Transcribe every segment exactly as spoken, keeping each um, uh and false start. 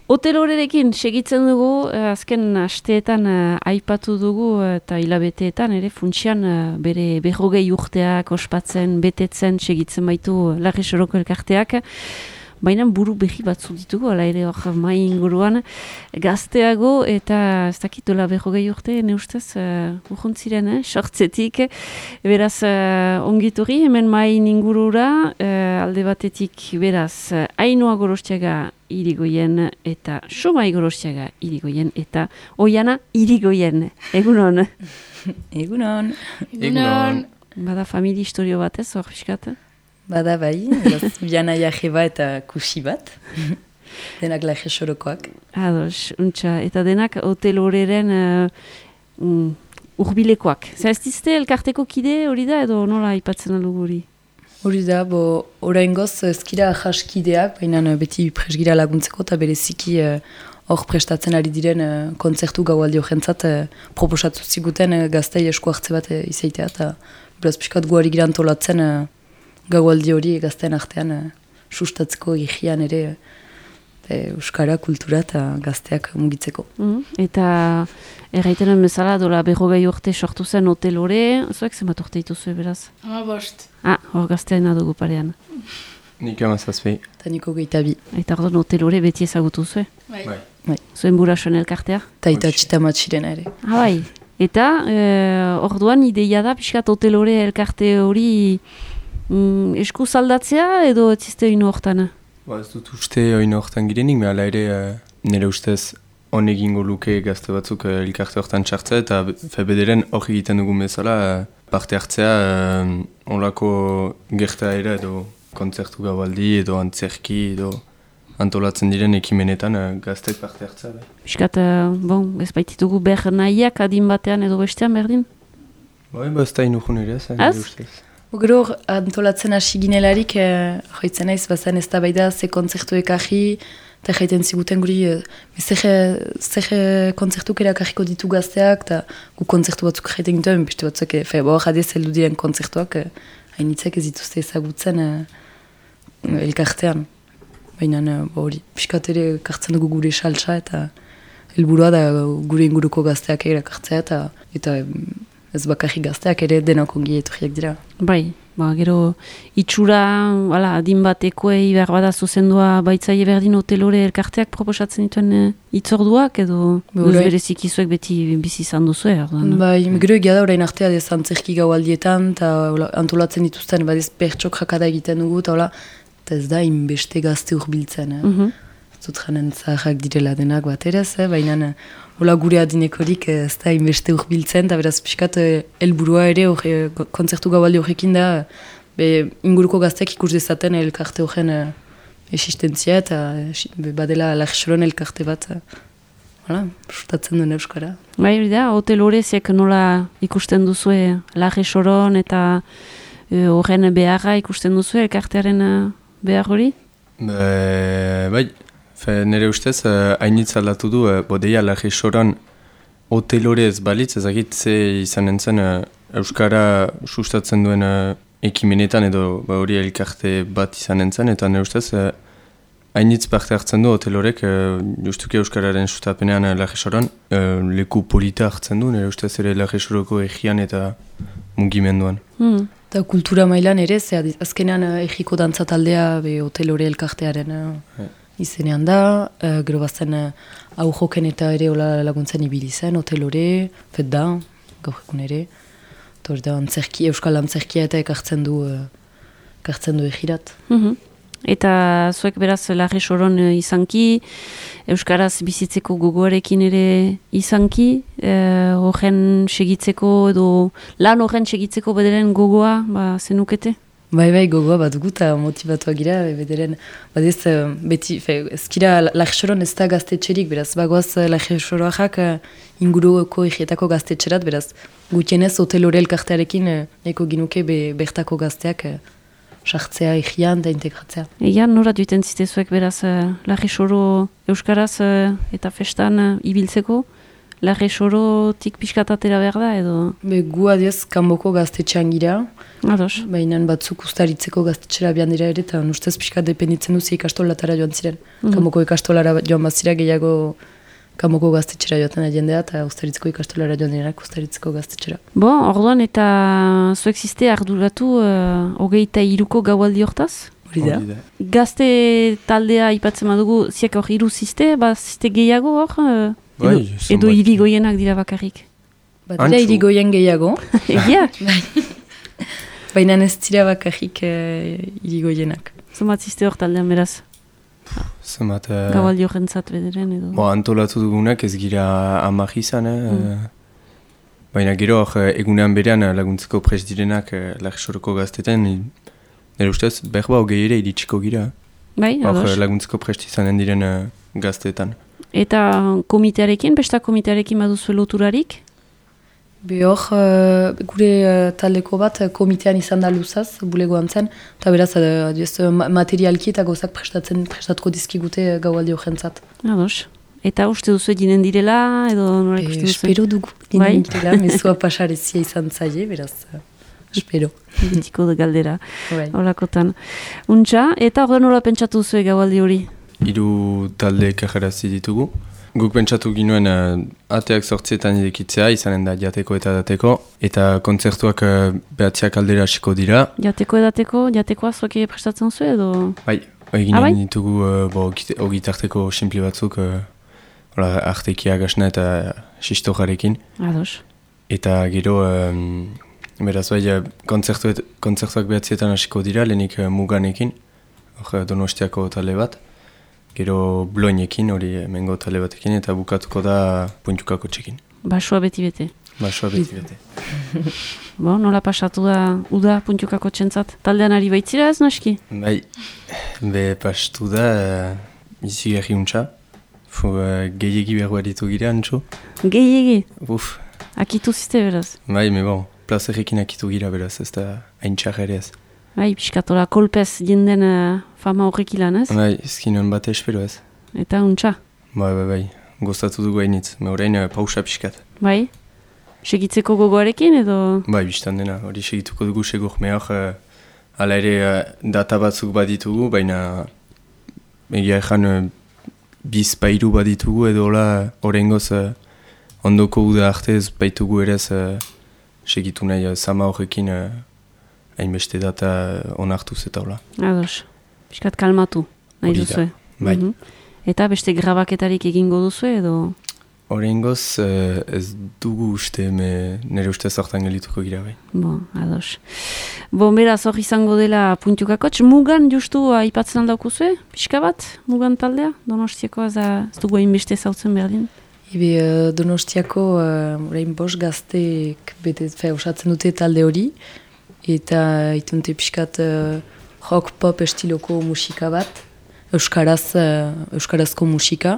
Hotelorerekin segitzen dugu, eh, azken asteetan eh, aipatu dugu eh, eta hilabeteetan ere funtsian eh, bere berrogei urteak ospatzen, betetzen, segitzen baitu Larri Soroko elkarteak. Baina buru behi batzu ditugu, ala ere hor mai inguruan gazteago eta ez dakit dola berrogei urte, ne ustez, uh, urruntziren, eh, sortzetik. Beraz, uh, ongitorri, hemen mai ingurura, uh, alde batetik, beraz, uh, Ainhoa Gorostiaga Irigoyen eta Somai Gorostiaga Irigoyen eta Oiana Irigoyen. Egunon? Egunon. Egunon. Bada familia historio bat ez, hor piskat? Bada bai, biana jaje bat eta kusi bat. Denak Larri Sorokoak. Ados, untxa. Eta denak hoteloreren uh, um, urbilekoak. Zer ez dizte elkarteko kide hori da edo nola aipatzen alugu hori? Hori da, bo, oraingoz ezkira jaskideak, baina beti presgira laguntzeko eta bereziki hor uh, prestatzen ari diren uh, kontzertu gaualdi horrentzat uh, proposatu ziguten uh, gaztei esku hartze bat uh, izaitea eta beraz pixkat guari gira antolatzen uh, gaualdi hori gazten artean uh, sustatzeko higian ere uh, euskara, kultura eta gazteak mugitzeko. Mm, eta erraitenen bezala dola berrogei urte sortu zen hotelore, zuek zenbat urte dituzue beraz? Ama bost. Ah, hor gazteaina dugu parean. Nik amazazpei. Eta niko gehietabi. Eta orduan hotelore beti ezagutu zue? Bai. Bai. Zuen burasoen elkartea? Eta eta txitamatxirena ere. Ah, bai. Eta eh, orduan ideia da pixkat hotelore elkarte hori mm, esku zaldatzea edo etzizte ino hortan? Ba, ez dut uste oin hortan girenik, me ala ere uh, nire ustez hon egingo luke gazte batzuk uh, elkarte hortan txartzea eta febederen hori egiten dugun bezala uh, parte hartzea uh, onlako gertaera edo kontzertu gaualdi edo antzerki edo antolatzen diren ekimenetan uh, gazteek parte hartzea. Bai. Piskat, uh, bon, ez baititugu behar nahiak adin batean edo bestean berdin? Bai, ba, ez da inukun ere, ez, nire ustez. Gero antolatzen hasi ginelarik, eh, joitzen naiz, bazen ez da baida ze kontzertuek ahi, eta jaiten ziguten guri, eh, zer kontzertuk erakarriko ditu gazteak, eta gu kontzertu batzuk jaiten gintuen, beste batzuk, e, fe, bo, jadez heldu diren kontzertuak, eh, hainitzek ez dituzte ezagutzen eh, elkartean. Baina hori, piskat ere kartzen dugu gure saltsa, eta helburua da gure inguruko gazteak erakartzea, eta, eta ez bakarrik gazteak ere denok ongi etorriak dira. Bai, ba, gero itxura, ala, adin batekoei behar bada zuzendua baitzaile berdin hotelore elkarteak proposatzen dituen e, itzorduak edo duz bereziki zuek beti bizi izan duzu e, bai, gero egia da orain artea dez antzerki gaualdietan eta antolatzen dituzten badez pertsok jakada egiten dugu eta hola, eta ez da inbeste gazte urbiltzen. Eh? Mm -hmm. Zut janen zaharrak direla denak bat erez, eh? Baina hola gure adinekorik ez da inbeste urbiltzen, eta beraz pixkat helburua ere orre, kontzertu gaualdi horrekin da be, inguruko gazteak ikus dezaten elkarte horren uh, existentzia eta be, badela Larri Soron elkarte bat uh, sustatzen duen euskara. Bai, hori da, hotel horreziek nola ikusten duzue Larri Soron eta horren uh, beharra ikusten duzue elkartearen uh, behar hori? Be, bai. Fe, nire ustez, hainitz uh, aldatu du, uh, bodeia Larri Soron hotelorez balitz, ezagit ze izan entzen uh, euskara sustatzen duen uh, ekimenetan edo ba, hori elkarte bat izan entzen, eta nire ustez, hainitz uh, parte hartzen du hotelorek, uh, justuki euskararen sustapenean uh, Larri Soron, uh, leku polita hartzen du, nire ustez ere Larri Soroko egian eta mugimenduan. Hmm. Eta kultura mailan ere, ze azkenean uh, egiko dantza taldea be, hotelore elkartearen uh, yeah. izenean da, uh, gero bazen uh, hau joken eta ere hola laguntzen ibili zen, hotelore, fet da, gaur egun ere. Eta hori da, antzerki, euskal antzerkia eta ekartzen du, uh, ekartzen du egirat. Mm-hmm. Eta zuek beraz Larri Soron uh, izanki, euskaraz bizitzeko gogoarekin ere izanki, uh, horren segitzeko edo lan horren segitzeko bederen gogoa, ba, zenukete? Bai, bai, gogoa bat dugu eta motivatuak gira, bederen, badez, beti, fe, ezkira Larri Soron ez da gaztetxerik, beraz, bagoaz Larri Soroak inguruko egietako gaztetxerat, beraz, gutienez hotelore elkartearekin eko ginuke be, bertako gazteak sartzea egian da integratzea. Egan, nora duiten zitezuek beraz Larri Soro euskaraz eta festan ibiltzeko, Larre sorotik pixkatatera behar da, edo? Be, gu adiez, kanboko gaztetxean gira. Ados. Baina batzuk ustaritzeko gaztetxera bian dira ere, eta ustez pixka dependitzen duzi ikastolatara joan ziren. Mm -hmm. Kanboko ikastolara joan bazira gehiago kanboko gaztetxera joaten jendea, eta ustaritzeko ikastolara joan dira ustaritzeko gaztetxera. Bo, orduan eta zuek ziste arduratu uh, hogeita iruko gaualdi hortaz? Hori da. Gazte taldea ipatzen badugu, ziak hor iru ziste, ba ziste gehiago hor? Uh, bai, edo edo irigoienak dira bakarrik? Ba, dira irigoien gehiago. Egia? Baina ez dira bakarrik uh, irigoienak. Zumat ziste hor taldean beraz? Zumat... Uh, Gaualdi horrentzat bederen edo? Bo, antolatu dugunak ez gira amak izan, eh? Mm. Baina gero hor egunean berean laguntzeko prest direnak Larresoroko gazteten, nire ustez, behar ba hogei ere iritsiko gira. Bai, ados. Hor laguntzeko prest izanen diren uh, gazteetan. Eta komitearekin, besta komitearekin baduzu loturarik? Be hor, uh, gure uh, taldeko bat uh, komitean izan da luzaz, bulegoan zen, eta beraz, uh, diez, uh, materialki eta gozak prestatzen, prestatko dizkigute uh, gaualdi horrentzat. Ados. Eta uste duzu eginen direla, edo nola ikusten duzu? Espero dugu eginen direla, mezua pasarezia izan zaie, beraz, uh, espero. Betiko de galdera, Right. Holakotan. Untxa, eta orda nola pentsatu duzu gaualdi hori? Hiru talde kajarazi ditugu. Guk pentsatu ginuen uh, ateak zortzietan irekitzea, izanen da jateko eta dateko, eta kontzertuak uh, behatziak aldera hasiko dira. Jateko edateko, jatekoa zoke prestatzen zu edo? Bai, eginen ah, bai? ditugu uh, bo, ogitarteko sinpli batzuk, uh, hola, artekia gasna eta sistojarekin. Ados. Eta gero, um, beraz bai, uh, kontzertuet, kontzertuak behatzietan hasiko dira, lehenik uh, muganekin, hor uh, Donostiako talde bat. Gero bloinekin, hori mengo tale batekin, eta bukatuko da puntukako txekin. Basua beti bete. Basua beti bete. Bo, nola pasatu da uda puntukako txentzat? Taldean ari baitzira ez naski? Bai, be pastu da, uh, izi gerri untxa. Fu, uh, gehiegi behar ditu gira, antxo. Gehiegi? Uf. Akitu ziste beraz? Bai, me bon, plazerrekin akitu gira beraz, ez da hain txar ere ez. Bai, piskatola kolpez jenden uh, fama horrek ilan ez? Bai, ezkinuen bate espero ez. Eta untxa? Bai, bai, bai, gozatu dugu hainitz, me horrein uh, pausa pixkat. Bai? Segitzeko gogoarekin edo? Bai, biztan dena, hori segituko dugu segur, me hor, uh, ala ere uh, data batzuk baditugu, baina egia ezan uh, biz bairu baditugu edo hola horrengoz uh, ondoko uda arte ez baitugu ere ez uh, segitu nahi uh, sama horrekin uh, hainbeste data onartuz eta hola. Ados, piskat kalmatu, nahi Hori da, duzue. bai. Mhm. Eta beste grabaketarik egingo duzu edo? Horrengoz uh, ez dugu uste, me, nire uste zortan gelituko gira bai. Bo, ados. Bo, beraz hor izango dela puntukakotx, mugan justu aipatzen aldaukuzue, pixka bat, mugan taldea? Donostiakoa ez dugu hainbeste zautzen berdin? Ebe uh, Donostiako uh, orain bost gazteek bete, fe, osatzen dute talde hori, eta itunte pixkat uh, rock pop estiloko musika bat, euskaraz, uh, euskarazko musika,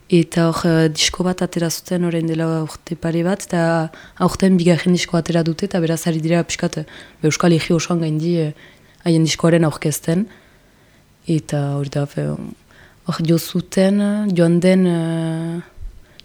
eta hor uh, disko bat atera zuten orain dela urte pare bat, eta aurten bigarren disko atera dute, eta beraz ari dira pixkat uh, euskal egi osoan gaindi haien uh, diskoaren aurkezten, eta hori da, hor jo zuten, joan den, uh,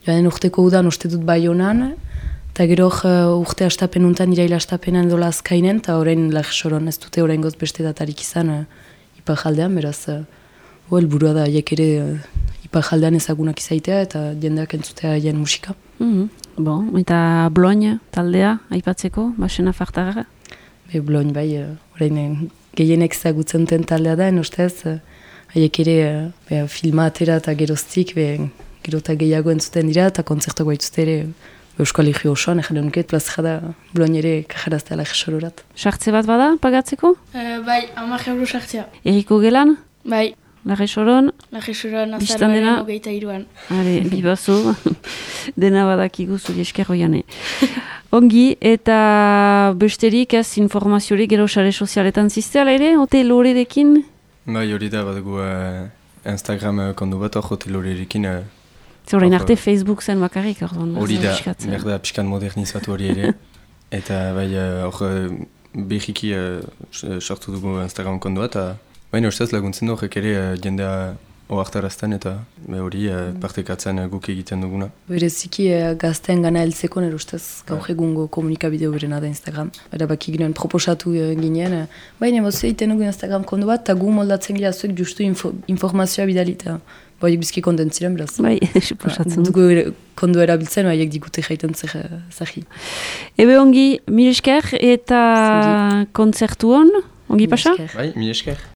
joan den urteko udan uste dut Baionan, eta gero uh, urte astapen untan, iraila astapenan dola azkainen, eta orain Larresoron ez dute orain goz beste datarik izan uh, ipar jaldean, beraz, uh, oh, elburua da, haiek ere uh, ipar jaldean ezagunak izaitea, eta jendeak entzutea haien musika. Mm-hmm. Bon, eta Bloin taldea, aipatzeko, basena fartara? Be, Bloin bai, uh, orain gehienek ezagutzen den taldea da, en ustez, uh, haiek ere uh, be, filma atera eta geroztik, be, gero eta gehiago entzuten dira, eta kontzertuak baituzte ere, Euskal Herri osoan, egin nuket, plazera da Bloin ere kajaraztea Larresororat. Sartze bat bada, pagatzeko? Uh, bai, hamar euro sartzea. Eriko gelan? Bai, Larresoron? Larresoron Bistan dena? azaroaren hogeita iruan. Are, bibazu, dena badakigu zuri esker hoiane. Ongi, eta besterik ez informaziorik gero sare sozialetan zizteala ere, hotel horerekin? Bai, hori da, badugu uh, Instagram uh, kondu bat, hor hotel horerekin. Uh, Zorain arte Facebook zen bakarrik, orduan. Hori da, behar da pixkan modernizatu hori ere. Eta bai, hor uh, behiki uh, sortu dugu Instagram kondua, eta baina ustez laguntzen du horrek ere uh, jendea oartarazten eta be hori uh, partekatzen uh, guk egiten duguna. Bereziki uh, gazteen gana heltzeko nire ustez gaur egungo komunikabide berena da Instagram. Erabaki ginen proposatu uh, ginen, uh, baina bozu egiten dugu Instagram kondu bat, eta gu moldatzen gira zuek justu info, informazioa bidalita. Baiek bizki kontent ziren, beraz. Bai, suposatzen. Dugu kondu erabiltzen, baiek digute jaiten zahi. Ebe ongi, mil esker eta kontzertu hon, ongi pasa? Bai, mi esker.